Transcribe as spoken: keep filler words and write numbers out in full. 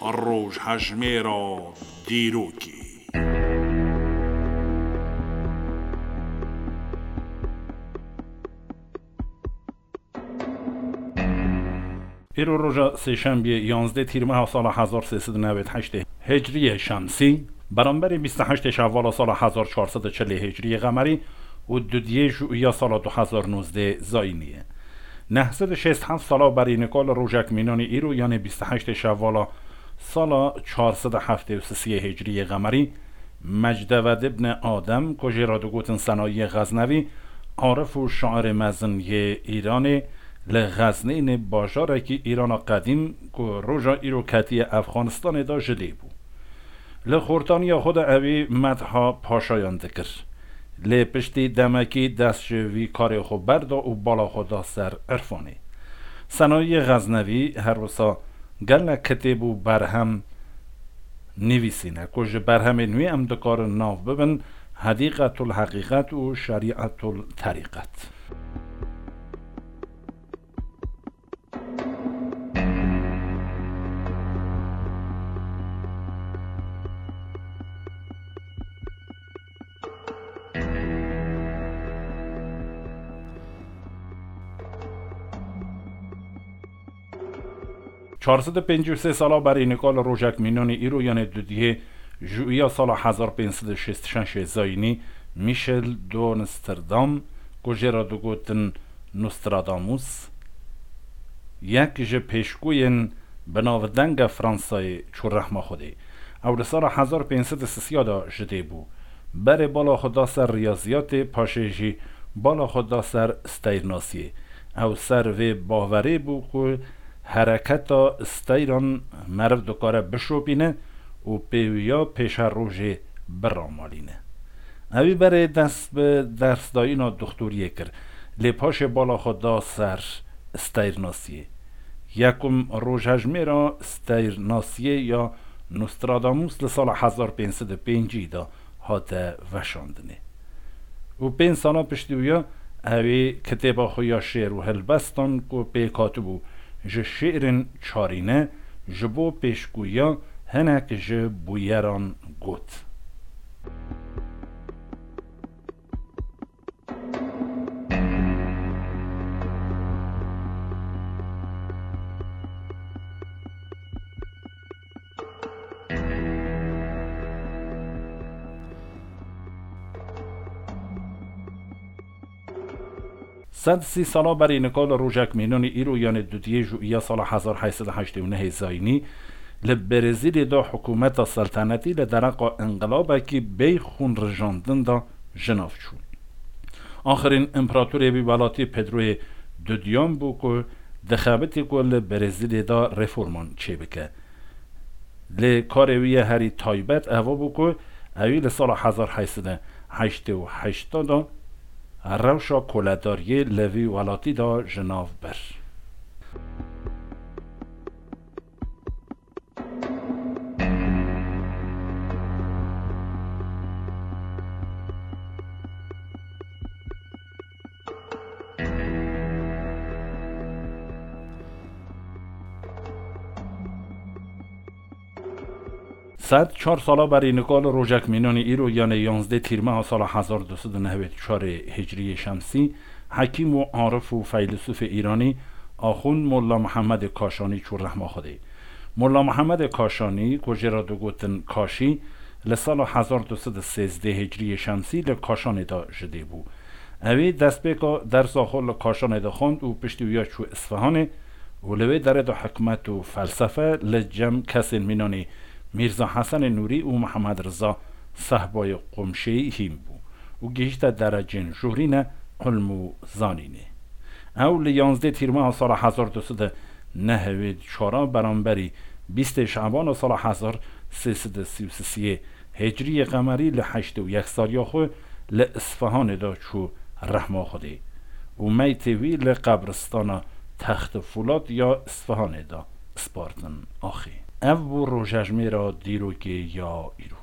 Rojhejmêra dîrokê. Îro roja sêşembiyê, yanzdeh tîrmeha sala hezar sê sed û newêd heştê Hicriyê Şemsî, beramberî bîst û heştê Şevala sala hezar çar sed û çilê Hicriyê Qemerî û dudiyê Juiya sala du hezar nozdeh Zayînî ye. Neh sed û şêst heft sala berî nika li rojek mînanî îro, yanê bîst û heştê Şevala sala çar sed û heftê û sisiyê Hicriyê Qemerî, Mecdeved ibn Adem, ku jê re digotin Senayiyê Xeznevî, arif û şairê mezin yê Îranê, li Xeznînê, bajarekî Îrana qedîm ku roja îro ketiye Efxanistanê de, ji dê bû. Li xortaniya xwe de ewî medha paşayan dikir. Lê piştî demekî dest ji vî karê xwe berda û bala xwe da ser irfanê. Senayiyê Xeznevî her wisa gelek kitêb û berhem nivîsîne ku ji berhemên wî em dikarin nav bibin Hedîqetul Heqîqet û Şerîetul Terîqet. Çar sed û pêncî û sê sala berî nika li rojek mînanî îro, yanê dudiyê Juiya sala hezar pênc sed û şêst û şeş Zayînî, Michel de Nostradam, ku jê re digotin Nostradamus, yek ji pêşgûyên bi navdeng a Fransayê çû rehma Xwedê. Ew li sala hezar pênc sed û sisiya de ji dê bû. Berê bala xwe da ser riyaziyatê, paşê jî bala xwe da ser steyrnasiyê. Ew ser vê bawerê bû ku hereketa steyran meriv dikare bişopîne û pêwiya pêşerojê biramalîne. Ewî berê dest bi dersdayîna doxtoriyê kir, lê paşê bala xwe da ser steyrnasiyê. Yekum rojhejmêra steyrnasiyê ya Nostradamus li sala hezar pênc sed û pêncî de hate veşandinê. Û pênc sala piştî wî ya ewî kitêba xwe ya şêr û helbestan ku pêk hatibû ji şêrên çarîne, ji bo pêşgûyiya hinek ji bûyeran got. Sed sî sala berî nika li rojek mînanî îro, yanê dudiyê Juiya sala hezar heyt sed û heştê û nehê Zayînî, li Brezîlyê de hikûmeta seltenetî li dereqa inqilabekî bêyî xûn rijandin de ji nav çû. Axirîn împeratorê wî welatî Pedroyê Dudiyan bû ku dixebitî ku li Brezîlyê de reforman çêbike. Lê karê wî yê herî taybet eva bû ku ewî li sala hezar heyt sed û heştê û heşt de rewşa koledariyê li vî welatî de ji nav bir. Sed çar sala berî nika li rojek mînanî îro, yanê yanzdeh tîrmeha sala hezar du sed û newêd û çarê Hicriyê Şemsî, hekîm û arif û feylisûfê Îranî, Axund Molla Mihemedê Kaşanî çû rehma Xwedê. Molla Mihemedê Kaşanî, ku jê re digotin Kaşî, li sala hezar du sed û sêzdeh Hicriyê Şemsî li Kaşanê de ji dê bû. Ewî destpêka dersa xwe li Kaşanê de xwend û piştî wî ya çû Isfihanê û li wê derê de hikmet û felsefe li cem kesên mînanî Mîrza Hesenê Nûrî û Mihemed Riza Sehbayê Qumşêyî hîn bû û gihîşte derecên jûrîne ilm û zanînê. Ew li yanzdeh tîrmeha sala hezar du sed û nehewêd û çar a beramberî bîstê Şebana sala hezar sê sed û sî û sisiyê Hicriyê Qemerî li heştê û yek saliya xwe li Isfihanê de çû rehma Xwedê û meytê wî li qebristana Textê Folat ya Isfihanê de spartin axê. Ev bû rojejmêra dîrokê ya îro.